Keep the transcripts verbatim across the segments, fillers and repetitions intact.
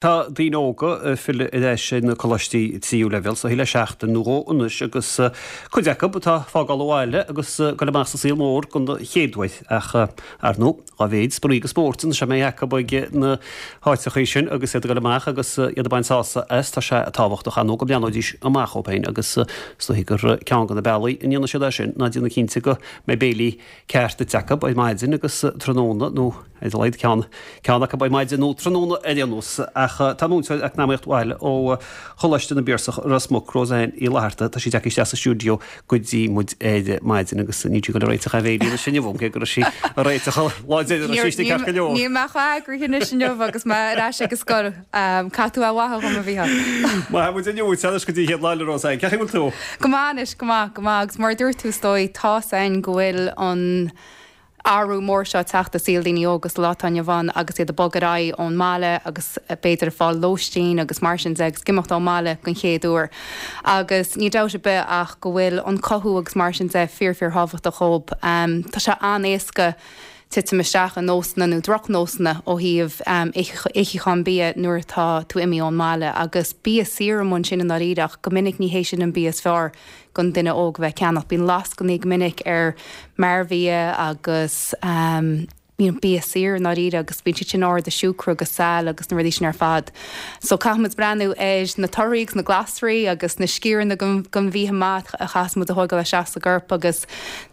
Tá daoine óga ag filleadh ar ais ar na coláistí tríú leibhéal so le seachtain nó dhó anois agus cuid acu atá ag fágáil an bhaile agus ag dul amach sa saol mór don chéad uair ach ar ndóigh dá mhéad spraoi agus spórt anois a mbeidh acu ag na háiteachaí sin agus iad ag dul amach agus iad ag baint sásamh as tá sé tábhachtach ar ndóigh go mbreathnóidís amach dóibh féin agus is dóigh gur ceann de na bealaí a ndéanfaidh siad é sin ná déanamh cinnte go mbeidh béilí ceart ite acu ar maidin agus tráthnóna nó ar a laghad ceann ceann acu ar maidin nó tráthnóna ar aon nós ach tá múinteoir eacnamaíocht bhaile ó Choláiste na bPiarsach Ros Muc Roseanne Uí Fhlatharta tá sí tagtha isteach sa stiúideo go dtí muid ar maidin agus níl sí ag dul ag réiteach aon bhéilí anois inniu cé go raibh sí ag réiteach lá deireanach sí ceart go leor. Níl mé chomh heagraithe anois inniu agus mé ar ais ag an scoil Caithfidh tú a mhaith dhom a Mhícheáil. Maith muid inniu anois go dtí chéad lá le Roseanne, cén chaoi bhfuil tú? Go maith anois go maith go maith agus mar a dúirt tú is dóigh tá a fhios againn go bhfuil an athrú mór seo teacht i saol daoine óga sa lá atá inniu ann agus iad ag bogadh ar aghaidh ón mbaile agus b'fhéidir ag fáil lóistín agus mar sin de agus ag imeacht ón mbaile den chéad uair. Agus ní dabht ar bith ach go bhfuil an cothú agus mar sin de fíor fíor thábhachtach dóibh. Um, tá sé an-éasca titim isteach i nósanna nó drochnósanna ó thaobh um, itheachán bia nuair atá tú imithe ón mbaile agus bia saor amach sin i ndáiríre ach go minic ní hé sin an bia is fearr don duine óg bheith ag ceannach. Bíonn lascainí go minic ar mearbhia agus um, you know, bia saor i ndáiríre agus bíonn siad sin ard i siúcra agus saill agus na rudaí sin ar fad. So caithfimid breathnú ar na torthaí agus na glasraí agus na sciaranna den bhia maith a chaithfimid a thógáil isteach sa gcorp agus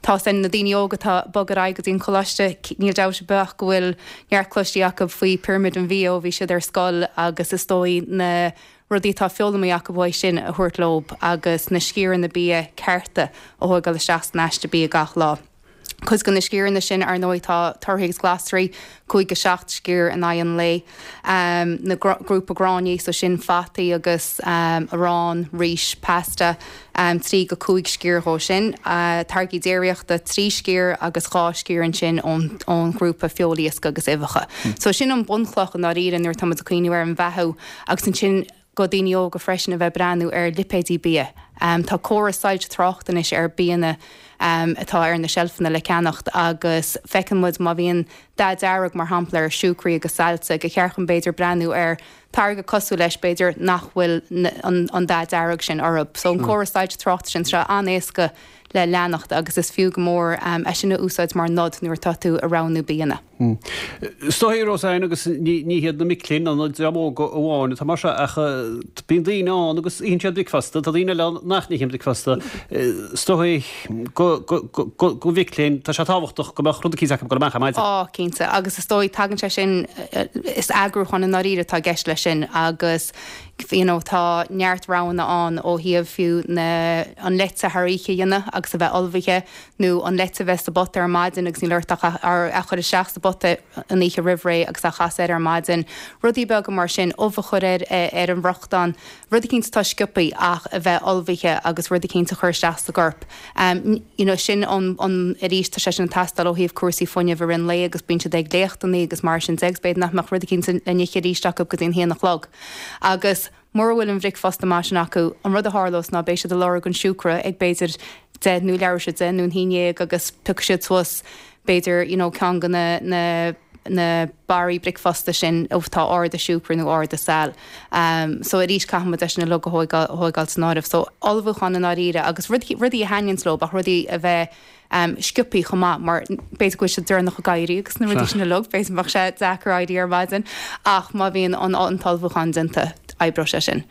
tá sin na daoine óga atá ag bogadh ar aghaidh go dtí an coláiste níl dabht ar bith go bhfuil neart cloiste acu faoi pyramid an bhia ó bhí siad ar scoil agus is dóigh na rudaí atá foghlamtha acu uaidh sin a thabhairt leo agus na sciaranna bia cearta a thógáil isteach san aiste bia gach lá. Cuid de na sciaranna sin ar ndóigh tá torthaí agus glasraí, cúig go seacht sciar in aghaidh an lae. Um, na grúpa gráinní so sin fataí agus um, arán, rís, pasta, um, trí go cúig sciar dhó sin. Uh, táirgí déiríochta trí sciar agus dhá sciar ansin ón, ón ghrúpa feoil iasc agus uibheacha. Mm. So sin an bunchloch i ndáiríre nuair táimid ag cuimhneamh ar an bheathú agus ansin go daoine óga freisin a bheith breathnú ar lipéidí bia. Um, tá córas soilse tráchta anois ar bianna um, atá ar na seilfeanna le ceannacht agus feiceann muid má bhíonn dath dearg mar shampla ar siúcraí agus saillte gur cheart chun b'fhéidir breathnú ar táirge cosúil leis b'fhéidir nach bhfuil an, an dath dearg sin orthu. So an córas soilse tráchta sin seo an-éasca le leanacht agus is fiú go mór um, é sin a úsáid mar nod nuair atá tú ag roghnú bianna. Hmm. Stoí Roseanne agus ní hiad na mic léinn an dream óg amháin atá mar seo ach bíonn daoine ann agus itheann siad bricfeasta, tá daoine eile nach n-itheann bricfeasta. Stoí go mhic léinn tá sé tábhachtach go mbeadh rud eicínt acu go amach ar maidin. Á cinnte agus is dóigh tagann sé sin is eagrúchán i ndáiríre atá i gceist leis sin agus you know, tá neart roghanna ann ó thaobh fiú na an leite thar oíche a dhéanamh agus a bheith ullmhaithe nó an leite bheith sa bpota ar maidin agus níl ort ach a chur isteach sa bpota an oíche roimh ré agus a chasadh air ar maidin. Rudaí beaga mar sin ubh a chur ar ar an bhfriochtán, rud eicínt atá sciobtha ach a bheith ullmhaithe agus rud eicínt a chur isteach sa gcorp. Um, you know, sin an, an arís tá sé sin ag teastáil ó thaobh cúrsaí fuinnimh i rith an lae agus bíonn siad ag léachtanna agus mar sin de agus b'fhéidir nach mbeadh rud eicínt le n-ithe arís acu go dtí an haon a chlog. Agus mura bhfuil an bhricfeasta maith sin acu, an rud a tharlós ná beidh siad ag lorg an siúcra ag b'fhéidir deich nó leathuair tar éis a deich nó an haon déag agus piocfaidh siad suas b'fhéidir you know, ceann de na, na na barraí bricfeasta sin atá ard i siúcra nó ard i saill. Um, so arís caithfimid é sin uilig a thógáil san áireamh. So ullmhúchán i ndáiríre agus rudaí a thaitníonns leo ach rudaí a bheith um, sciobtha chomh maith mar b'fhéidir go bhfuil siad deireanach ag éirí agus na rudaí sin uilig, b'fhéidir bheadh sé deacair éirí ar maidin ach má bhíonn an an t-ullmhúchán déanta oibreoidh sé sin.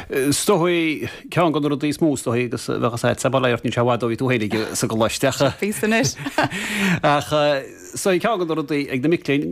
Is dóigh ceann de na rudaí is mó is dóigh agus bheadh sé sa baile ní sé bhfad ó bhí tú féinig sa gcoláiste. Bhí anois. Ach is dóigh ceann de na rudaí ag na mic léinn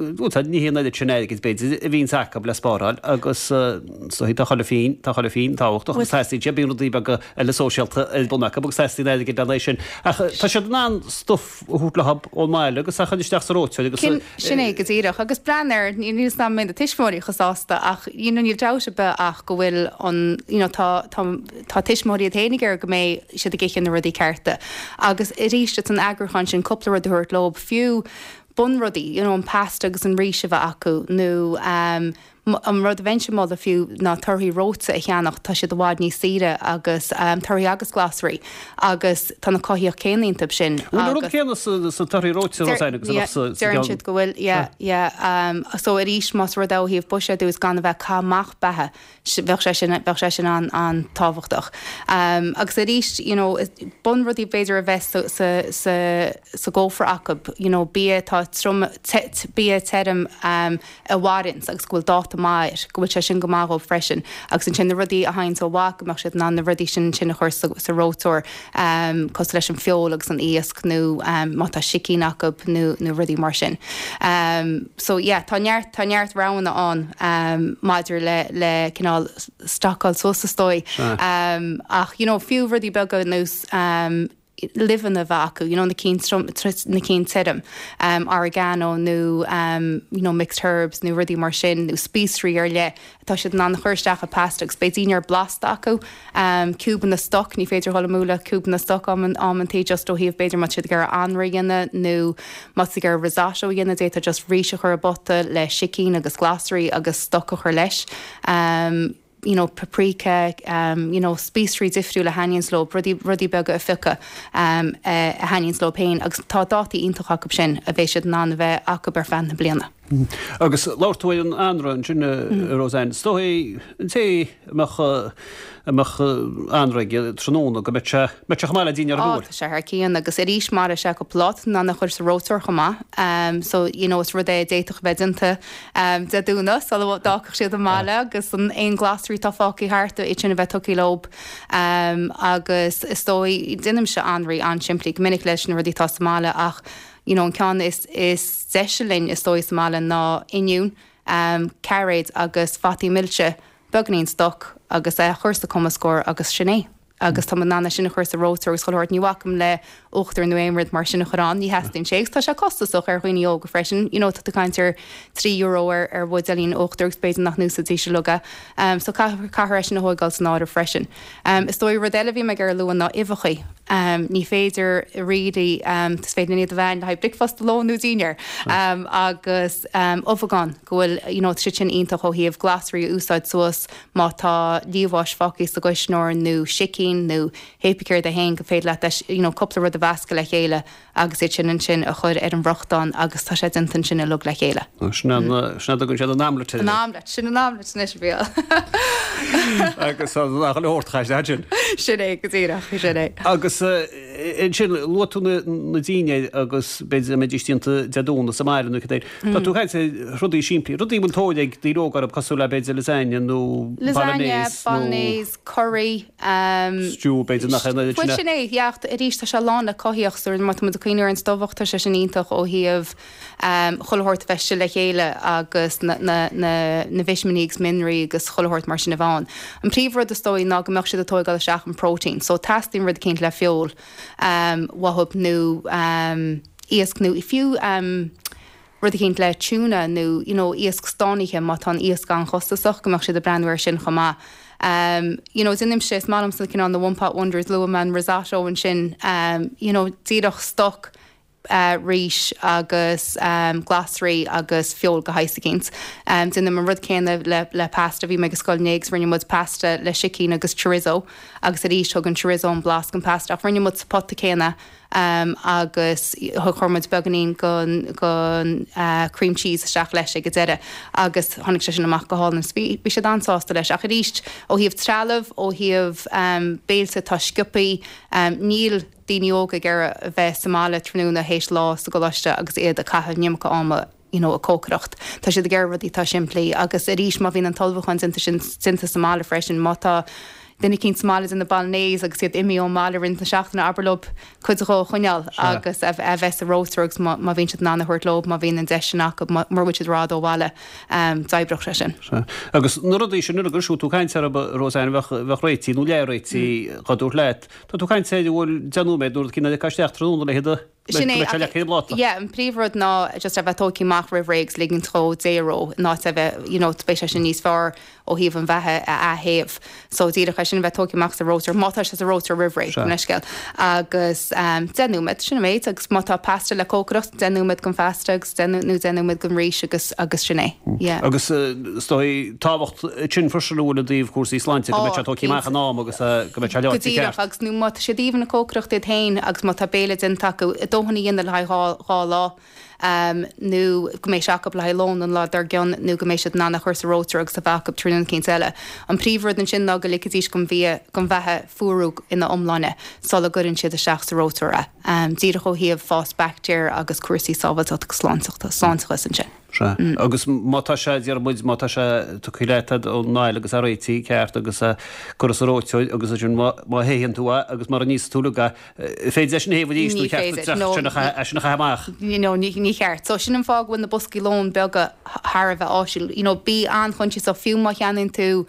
ní hé an oiread sin airgid b'fhéidir a bhíonns acu le spáráil agus is dóigh tá chuile phingin tá chuile phingin tábhachtach agus teastaíonn sé bíonn rudaí beaga eile sóisialta ar bun acu agus teastaíonn airgid lena sin. Ach tá siad in ann stuff a thabhairt leo ón mbaile agus a chur isteach sa reoiteoir agus Sin é go díreach agus breathnaigh air níl 's ná mbeidh na tuismitheoirí chomh sásta ach you know, níl dabht ar bith ach go bhfuil an you know, tá, tá, tá tuismitheoirí iad féin ag iarraidh go mbeidh siad ag ithe na rudaí cearta. Agus arís an eagrúchán sin cúpla rud a thabhairt leo fiú bunrudaí, you know, an pasta agus an rís a bheith acu nó um, An rud a bheinnse ag moladh fiú ná torthaí reoite a cheannach, tá siad i bhfad níos saoire agus torthaí agus glasraí agus tá na cothaíocht céanna iontu sin. Bhfuil an rud céanna sa torthaí reoite, Rosanne, agus a bheadh sa Deireann gceann? siad go bhfuil, yeah, yeah. So arís más rud é ó thaobh buiséadú is gan a bheith ag caitheamh amach beatha, bheadh sé sin, bheadh sé sin an-tábhachtach. Agus arís, you know, bunrudaí b'fhéidir a bheith sa, sa, sa, sa gcófra acu, you know, bia atá trom, te, bia tirim a mhaireanns agus go bhfuil dáta maith air, go bhfuil sé sin go maith dhóibh freisin. Agus ansin na rudaí a théanns ó mhaith, go mbeadh siad in ann na rudaí sin ansin a chur sa, sa reoiteoir, cosúil leis an feoil agus an iasc nó má tá sicín acu nó, nó rudaí mar sin. So yeah, tá neart, tá neart roghanna ann maidir le, le cineál stocáil suas is dóigh. Ach you know, fiú rudaí beaga ar nós luibheanna a bheith acu, you know, na cinn trom, na cinn tirim, oregano nó you know, mixed herbs nó rudaí mar sin, nó spíosraí ar leith atá siad in ann a chur isteach i pasta agus beidh dinnéar blasta acu. Ciúbanna stoc, ní féidir dhul amú le ciúbanna stoc amantaí just ó thaobh b'fhéidir má tá siad ag iarraidh anraith a dhéanamh nó má tá siad ag iarraidh risotto a dhéanamh d'fhéadfá just rís a chur i bpota le sicín agus glasraí agus stoc a chur leis. you know, paprika, um, you know, spíosraí difriúla a thaitníonns leo, rudaí, rudaí beaga a phiocadh um, a thaitníonns leo féin agus tá dátaí iontach acu sin a bheidh siad in ann a bheith acu ar feadh na bliana. Agus labhair tú ar an anraith ansin, a Rosanne, is dóigh an té a mbeadh, a mbeadh anraith aige tráthnóna go mbeadh sé, mbeadh sé chomh maith le dinnéar Á, tá sé thar cionn agus arís mar is ea cúpla lá, in ann a chur sa reoiteoir chomh maith. Um, so, you know, is rud é a d'fhéadfadh a bheith déanta um, Dé Domhnaigh sula bhfágfadh siad an baile agus an aon glasraí atá fágtha thart iad sin a bheith tugtha leo. Um, agus is dóigh, déanaimse anraith an-simplí go minic leis na rudaí atá sa mbaile ach you know, an ceann is, is deise linn is dóigh sa mbaile ná oinniún, um, cairéid agus fataí milse, beagáinín stoc agus é a chur sa chumascóir agus sin é. Agus tá in ann é sin a chur sa reoiteoir agus chuile shórt. Ní bhacaim le uachtar nó aon rud mar sin a chur ann, ní theastaíonn sé agus tá sé costasach ar dhaoine óga freisin. You know, tá tú ag caint ar trí euro ar, ar bhuidéilín uachtair agus b'fhéidir nach n-úsáidfidís uilig é. Um, so caithfear, caithfear é sin a thógáil san áireamh freisin. Um, is dóigh rud eile a bhí mé ag iarraidh a lua ná uibheacha. Um, ní féidir really, um, is féidir iad a bheith le haghaidh bricfeasta, lón nó dinnéar. Um, agus um, ubhagán go bhfuil, you know, tá siad sin iontach ó thaobh glasraí a úsáid suas má tá liamhás fágtha sa gcuisneoir nó sicín nó pé céard é féin go féidir leat you know, cúpla rud a mheascadh le chéile agus iad sin ansin a chur ar an bhfriochtán agus tá sé déanta ansin uilig le chéile. Sin an dtugann siad an omelette An omelette, sin an omelette anois a bhí. Agus nach le hórtcha sin. Sin é go díreach, sin é. Agus ansin luaigh tú na dinnéir agus b'fhéidir mbeidís déanta Dé Domhnaigh sa mbaile nó cad é. Tá tú ag caint ar rudaí simplí, rudaí a bhfuil tóir ag daoine óga orthu cosúil le b'fhéidir lasagne nó Lasagne, bolognese nó bolognese, curry, um, stew b'fhéidir nach é Bhuel sin é, yeah, arís tá sé lán le cothaíocht so má tá muid ag cuimhneamh ar an stobhach tá sé sin iontach ó thaobh um, chuile shórt a bheith le chéile agus na, na, na, na vitimíní agus mianraí agus chuile shórt mar sin a bheith ann. An príomhrud is dóigh ná go mbeadh siad ag tógáil isteach an protein, so teastaíonn rud eicínt le feoil um, uathu nó um, iasc nó fiú um, rud eicínt le tuna nó you know, iasc stánaithe má tá an iasc an-chostasach go mbeadh siad ag breathnú air sin chomh maith. Um, you know, déanaimse is maith liomsa cineál na one pot wonders luaigh mé an risotto ansin um, you know, díreach stoc uh, rís agus um, glasraí agus feoil de shaghas eicínt. Um, Déanaim an rud céanna le, le pasta bhí mé ag scoil inné agus rinne muid pasta le sicín agus chorizo agus arís thug an chorizo an blas don pasta ach rinne muid sa pota céanna um, agus chuir muid beagáinín den den uh, cream cheese isteach leis ag an deireadh agus tháinig sé sin amach go hálainn. Bhí bhí siad an-sásta leis ach arís ó thaobh trealamh ó thaobh um, béilte tá sciobthaí um, níl daoine óga ag iarraidh a bheith sa mbaile tráthnóna théis lá sa gcoláiste agus iad ag caitheamh an iomarca ama you know, ag cócaireacht. Tá siad ag iarraidh rudaí atá simplí agus arís má bhíonn an t-ullmhúchán déanta sin déanta sa mbaile freisin má tá duine eicínt sa mbaile ina bolognese agus iad imithe ón mbaile roinnt na seachtaine abair leo cuid de a choinneáil agus a a bheith sa reoiteoir agus má má bhíonn siad in ann a thabhairt leo má bhíonn an deis sin acu mura bhfuil siad ró ó bhaile um, d'oibreodh sé sin. Sea. Agus na rudaí sin uilig agus tú ag caint orthu Rosanne bheadh bheadh réitithe nó leath réitithe dhá dtabhairt leat. Tá tú ag caint ar bhfuil deich nóiméad nó rud eicínt le isteach tráthnóna le hiad a Sin é yeah, an príomhrud ná just a bheith tógtha amach roimh ré agus ligint dhó déró ná a bheith you know, beidh sé sin níos fearr ó thaobh an bheatha a théamh. So díreach sin bheith tógtha amach sa reoiteoir má tá sé sa reoiteoir roimh ré leithscéal. agus um, deich nóiméad sin méid agus má tá pasta le cócaireacht deich nóiméad don phasta agus nó deich nóiméad don rís agus agus sin é. Yeah. Agus is dóigh tábhacht sin freisin i dtaobh cúrsaí sláinte go mbeidh sé tógtha amach in am agus go mbeidh sé leáite ceart. agus nó má tá siad even ag cócaireacht iad féin agus má tá béile déanta acu dóthain a dhéanamh le haghaidh dhá lá um, nó go mbeidh sé acu le haghaidh lón an lá dár gcionn nó go mbeidh siad in ann a chur sa reoiteoir agus a bheith acu tráthnóna eicínt eile. An príomhrud ansin ná go ligfidís don bhia don bheatha fuarú ina iomláine sula gcuireann siad isteach sa reoiteoir é. Um, díreach ó thaobh fás baictéar agus cúrsaí sábháilteachta agus sláinteachta sláinteachas ansin. Sea. Agus má tá sé deir muid má tá sé tugtha leat ón mbaile agus réitithe ceart agus curtha sa reoiteoir agus sin má théann tú é agus mar a níos tú le féidir leis an théamh arís nó ceart sin a sin a chaitheamh amach. You know, ní ní cheart. So sin an fáth go bhfuil na boscaí lóin beaga thar a bheith áisiúil. You know, bí an-choinsiasach fiú má cheannaíonn tú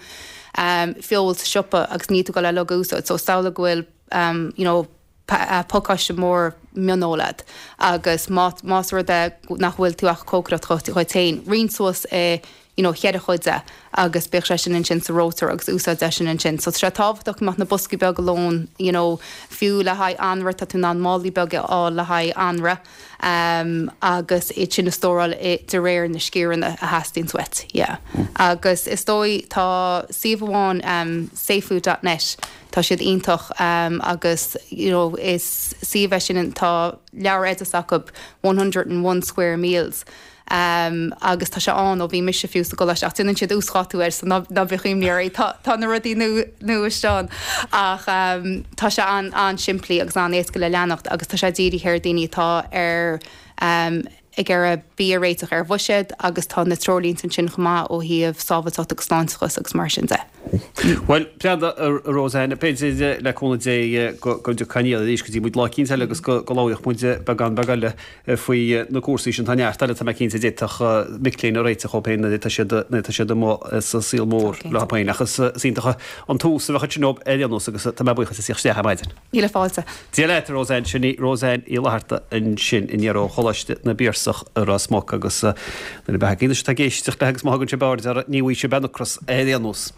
um, feoil sa siopa agus níl tú ag dul á úsáid. So samhlaigh go bhfuil um, you know, pacáiste mór mionfheola agat agus más rud é nach bhfuil tú ach cócaireacht dhuit féin. Roinn suas é you know, cheithre chuid é agus bíodh sé sin ansin sa reoiteoir agus úsáid é sin ansin. So tá sé tábhachtach go mbeadh na boscaí beaga lóin you know, fiú le haghaidh anraith tá tú in ann málaí beaga a fháil le haghaidh anraith um, agus iad sin a stóráil de réir na sciaranna a theastaíonn uait. Yeah. Mm. Agus is dóigh tá suíomh amháin um, safefood.net tá siad iontach um, agus you know, is suíomh é sin tá leabhar oideas acu one hundred and one square meals. Um, agus tá sé an ó bhí mise fiú sa gcoláiste ach déanann siad uasdátú air so ná ná bíodh imní oraibh tá tá na rudaí nua nua ansin ach um, tá sé an an-simplí agus an-éasca le leanacht agus tá sé dírithe ar daoine atá ar um, ag iarraidh bia a réiteach ar bhuiséad agus tá na treoirlínte ansin chomh maith ó thaobh sábháilteacht agus sláinteachas agus mar sin de. Bhuel, breanda a Roseanne, b'fhéidir le cúnamh Dé go dtiocfaidh Niall arís go dtí muid lá eicínt eile agus go labhróidh muid beagán beag eile faoi na cúrsaí sin. Tá neart eile tá mé cinnte a d'fhéadfadh mic léinn a réiteach dhóibh féin nuair atá siad nuair atá siad amuigh sa saol mór leo féin. Ach is iontach an tús a bheadh ansin ar aon nós agus tá mé buíoch as a theacht isteach ar maidin. Míle fáilte. Dia leat, a Roseanne. Sin í Roseanne Uí Fhlatharta ansin aniar ó Choláiste na bPiarsach i Ros Muc agus nuair a bheadh ag éisteacht léi agus má thugann sibh aird uirthi ní bhfaighidh sibh aon ocras ar aon nós.